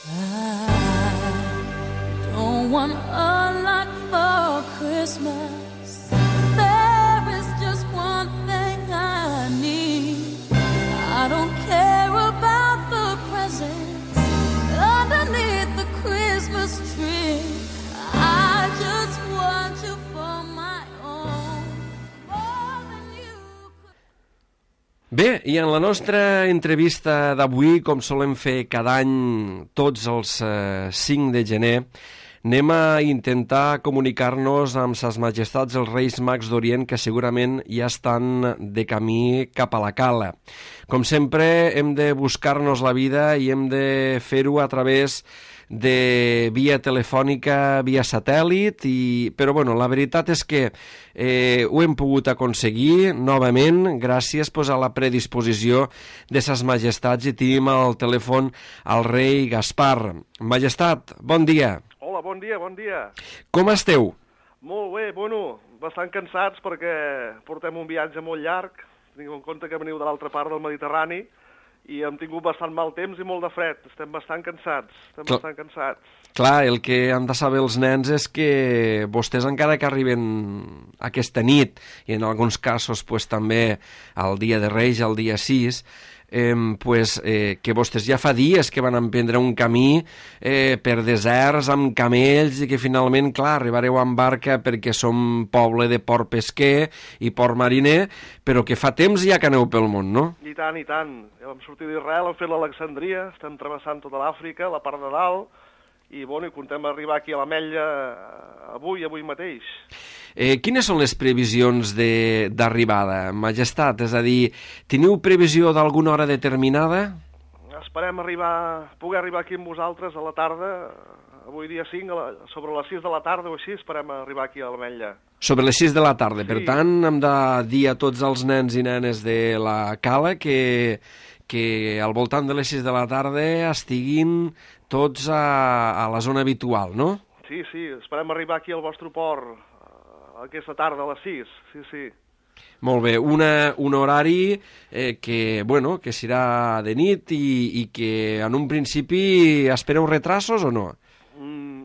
I don't want a lot for Christmas. There is just one thing I need. I don't care about the presents underneath the Christmas tree. I just want you for my own, more than you could. Bé, i en la nostra entrevista d'avui, com solem fer cada any tots els 5 de gener, anem a intentar comunicar-nos amb ses majestats els Reis Mags d'Orient, que segurament ja estan de camí cap a la cala. Com sempre, hem de buscar-nos la vida i hem de fer-ho a través de via telefònica, via satèl·lit, però bueno, la veritat és que ho hem pogut aconseguir novament gràcies a la predisposició de ses majestats, i tenim al telèfon el rei Gaspar. Majestat, bon dia. Hola, bon dia, bon dia. Com esteu? Molt bé, bueno, bastant cansats perquè portem un viatge molt llarg. Tingueu en compte que veniu de l'altra part del Mediterrani i hem tingut bastant mal temps i molt de fred. Estem bastant cansats, bastant cansats. Clar, el que han de saber els nens és que vostès encara que arriben aquesta nit, i en alguns casos també el dia de Reis, el dia 6, que vostès ja fa dies que van emprendre un camí per deserts amb camells i que finalment, clar, arribareu amb barca perquè som poble de port pesquer i port mariner, però que fa temps ja que aneu pel món, no? I tant, i tant. Ja vam sortir d'Israel, hem fet l'Alexandria, estem travessant tota l'Àfrica, la part de dalt, i bueno, i contem arribar aquí a l'Ametlla avui mateix. Quines són les previsions d'arribada, Majestat? És a dir, teniu previsió d'alguna hora determinada? Esperem poder arribar aquí amb vosaltres a la tarda, avui dia 5, sobre les 6 de la tarda o així, esperem arribar aquí a l'Ametlla. Sobre les 6 de la tarda. Sí. Per tant, hem de dir a tots els nens i nenes de la cala que al voltant de les 6 de la tarda estiguin tots a la zona habitual, no? Sí, esperem arribar aquí al vostre port aquesta tarda a les 6, sí. Molt bé, un horari que serà de nit i que en un principi espereu retrasos o no?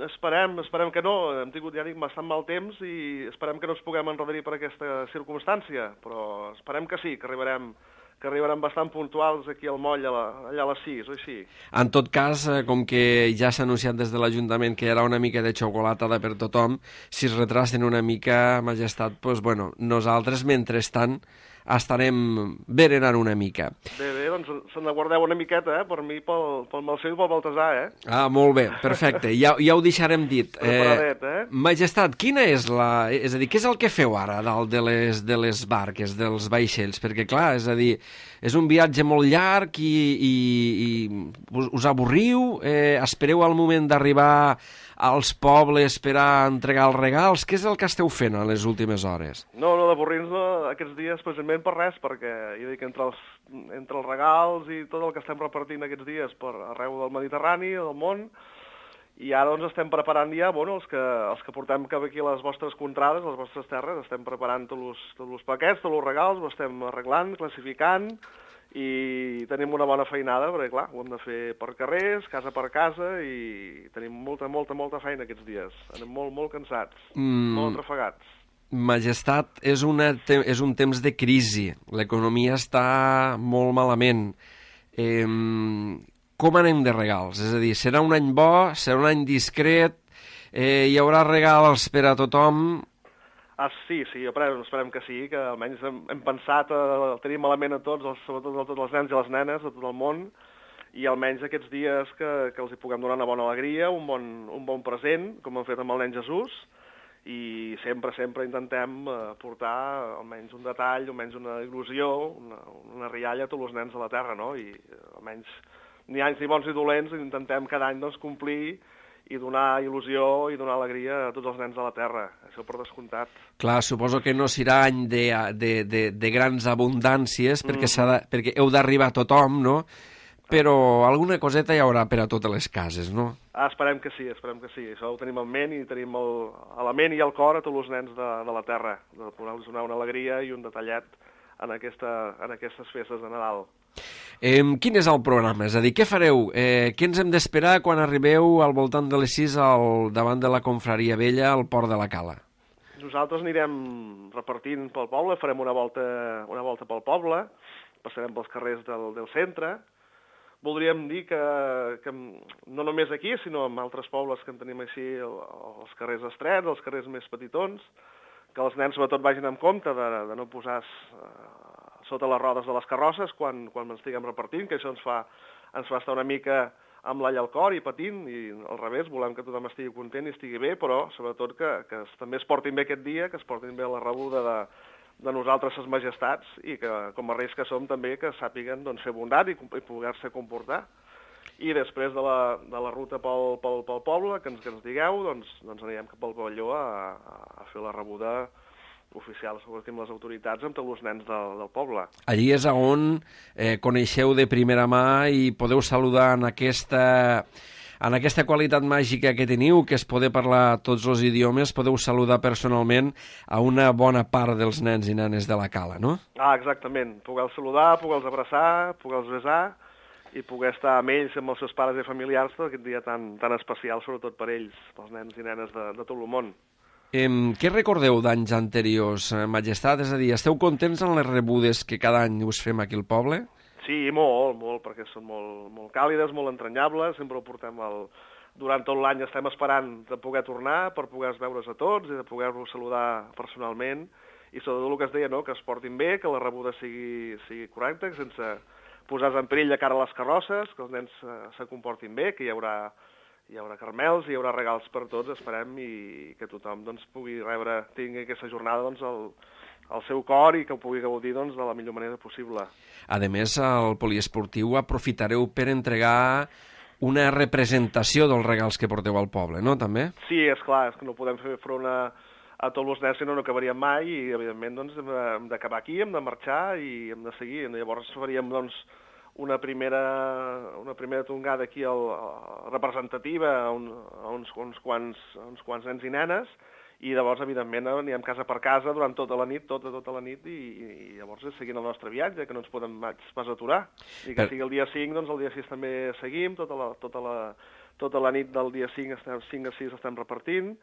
Esperem que no. Hem tingut, ja dic, bastant mal temps i esperem que no ens puguem enredar per aquesta circumstància, però esperem que sí, que arribarem bastant puntuals aquí al moll allà a les 6 o així. En tot cas, com que ja s'ha anunciat des de l'Ajuntament que hi haurà una mica de xocolatada per tothom, si es retrasen una mica, Majestat, doncs bueno, nosaltres mentrestant estarem berenant una mica. Bé, doncs se'n guardeu una miqueta, per mi, pel Malceu i pel Baltasar, Ah, molt bé, perfecte, ja ho deixarem dit. Preparadet, Majestat, quina és és a dir, què és el que feu ara dalt de les barques, dels vaixells? Perquè, clar, és a dir, és un viatge molt llarg i us avorriu? Espereu al moment d'arribar als pobles per a entregar els regals? Què és el que esteu fent a les últimes hores? No, d'avorrir-nos aquests dies precisament per res, perquè jo dic, entre els regals i tot el que estem repartint aquests dies per arreu del Mediterrani, del món, i ara doncs estem preparant ja, els que portem cap aquí a les vostres contrades, a les vostres terres, estem preparant tots els paquets, tots els regals, ho estem arreglant, classificant, i tenim una bona feinada, perquè clar, ho hem de fer per carrers, casa per casa, i tenim molta feina aquests dies. Anem molt cansats, molt atrafegats. Majestat, és un temps de crisi, l'economia està molt malament. Com anem de regals? És a dir, serà un any bo, serà un any discret, hi haurà regals per a tothom? Sí, esperem que sí, que almenys hem pensat tenir malament a tots, sobretot a tots els nens i les nenes de tot el món, i almenys aquests dies que els hi puguem donar una bona alegria, un bon present, com hem fet amb el nen Jesús, i sempre intentem portar almenys un detall, almenys una il·lusió, una rialla a tots els nens de la Terra, no? I almenys ni anys ni bons ni dolents, intentem cada any complir i donar il·lusió i donar alegria a tots els nens de la Terra, això per descomptat. Clar, suposo que no serà any de grans abundàncies, perquè heu d'arribar a tothom, no? Però alguna coseta hi haurà per a totes les cases, no? Esperem que sí. Això ho tenim en ment i tenim a la ment i al cor a tots els nens de la Terra, de poder-los donar una alegria i un detallet en aquestes festes de Nadal. Quin és el programa? És a dir, què fareu? Què ens hem d'esperar quan arribeu al voltant de les 6 davant de la Confraria Vella al Port de la Cala? Nosaltres anirem repartint pel poble, farem una volta pel poble, passarem pels carrers del centre. Voldríem dir que no només aquí, sinó en altres pobles que en tenim així, els carrers estrets, els carrers més petitons, que els nens sobretot vagin amb compte de no posar sota les rodes de les carrosses quan estiguem repartint, que això ens fa estar una mica amb l'all al cor i patint, i al revés, volem que tothom estigui content i estigui bé, però sobretot que també es portin bé aquest dia, que es portin bé la rebuda de nosaltres, ses majestats, i que com a reis que som també que sàpiguen fer bondat i poder-se comportar. I després de la ruta pel poble, que ens digueu, doncs anirem cap al pavelló a fer la rebuda oficial, sobretot amb les autoritats, amb tots els nens del poble. Allí és on coneixeu de primera mà i podeu saludar en aquesta qualitat màgica que teniu, que és poder parlar tots els idiomes, podeu saludar personalment a una bona part dels nens i nenes de la Cala, no? Exactament. Poder-los saludar, poder-los abraçar, poder-los besar i poder estar amb ells, amb els seus pares i familiars, aquest dia tan especial, sobretot per ells, pels nens i nenes de tot el món. Què recordeu d'anys anteriors, Majestat? És a dir, esteu contents en les rebudes que cada any us fem aquí al poble? Sí, molt, perquè són molt càlides, molt entranyables, sempre ho portem durant tot l'any estem esperant de poder tornar per poder veure's a tots i de poder-vos saludar personalment i sobretot el que es deia, no?, que es portin bé, que la rebuda sigui correcta, sense posar-se en perill de cara a les carrosses, que els nens se comportin bé, que hi haurà caramels, hi haurà regals per tots, esperem, i que tothom pugui tingui aquesta jornada al seu cor i que ho pugui gaudir de la millor manera possible. A més, al poliesportiu aprofitareu per entregar una representació dels regals que porteu al poble, no, també? Sí, és clar, és que no podem fer front a tots els nens, sinó no acabaríem mai, i evidentment hem d'acabar aquí, hem de marxar i hem de seguir. Llavors faríem una primera tongada aquí representativa a uns quants nens i nenes, i llavors, evidentment, anirem casa per casa durant tota la nit, i llavors seguint el nostre viatge, que no ens podem pas aturar. I que sigui el dia 5, doncs el dia 6 també seguim, tota la nit del dia 5 a 6 estem repartint,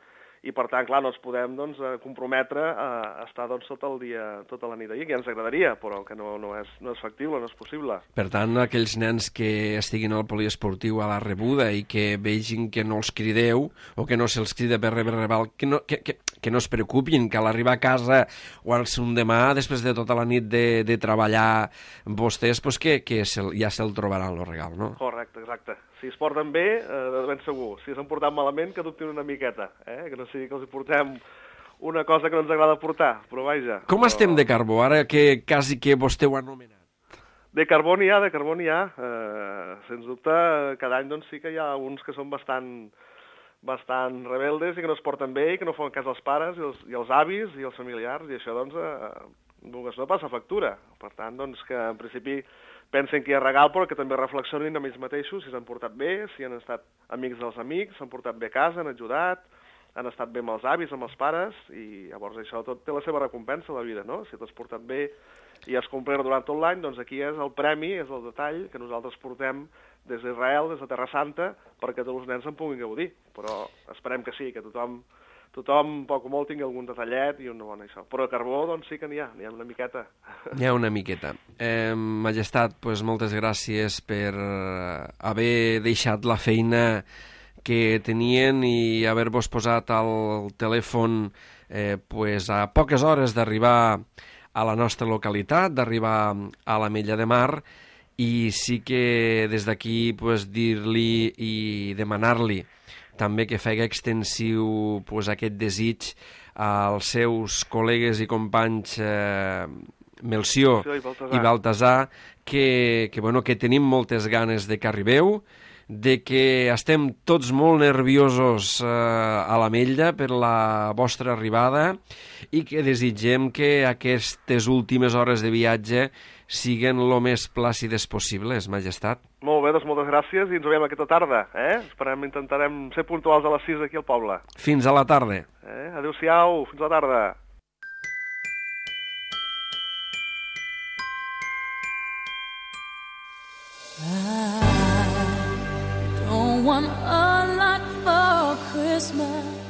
i per tant, clar, no ens podem comprometre a estar tota la nit allà, que ja ens agradaria, però que no és factible, no és possible. Per tant, aquells nens que estiguin al poliesportiu a la rebuda i que vegin que no els crideu o que no se'ls crida per rebre regal, que no es preocupin, que a l'arribar a casa o al demà, després de tota la nit de treballar vostès, doncs que ja se'l trobaran el regal, no? Correcte, exacte. Si es porten bé, de ben segur. Si s'han portat malament, que dubtin una miqueta, que no sigui que els portem una cosa que no ens agrada portar, però vaja. Com estem de carbó, ara que quasi que vostè ho ha anomenat? De carbó n'hi ha. Sens dubte, cada any sí que hi ha uns que són bastant rebeldes i que no es porten bé i que no fan cas als pares i als avis i als familiars, i això no passa factura. Per tant, que en principi pensen que hi ha regal, però que també reflexionin amb ells mateixos si s'han portat bé, si han estat amics dels amics, s'han portat bé a casa, han ajudat, han estat bé amb els avis, amb els pares, i llavors això tot té la seva recompensa a la vida, no? Si t'has portat bé i has complert durant tot l'any, doncs aquí és el premi, és el detall que nosaltres portem des d'Israel, des de Terra Santa, perquè tots els nens en puguin gaudir. Però esperem que sí, que tothom, poc o molt, tingui algun detallet i una bona això. Però carbó, sí que n'hi ha una miqueta. N'hi ha una miqueta. Majestat, moltes gràcies per haver deixat la feina que tenien i haver-vos posat al telèfon a poques hores d'arribar a la nostra localitat, d'arribar a l'Ametlla de Mar, i sí que des d'aquí dir-li i demanar-li també que faci extensiu aquest desig als seus col·legues i companys Melcior i Baltasar, que tenim moltes ganes de que arribeu, de que estem tots molt nerviosos a l'Ametlla per la vostra arribada i que desitgem que aquestes últimes hores de viatge siguen el més plàcides possibles, Majestat. Molt bé, moltes gràcies i ens veiem aquesta tarda. Intentarem ser puntuals a les 6 aquí al poble. Fins a la tarda. Adéu-siau, fins a la tarda. I don't want a lot for Christmas.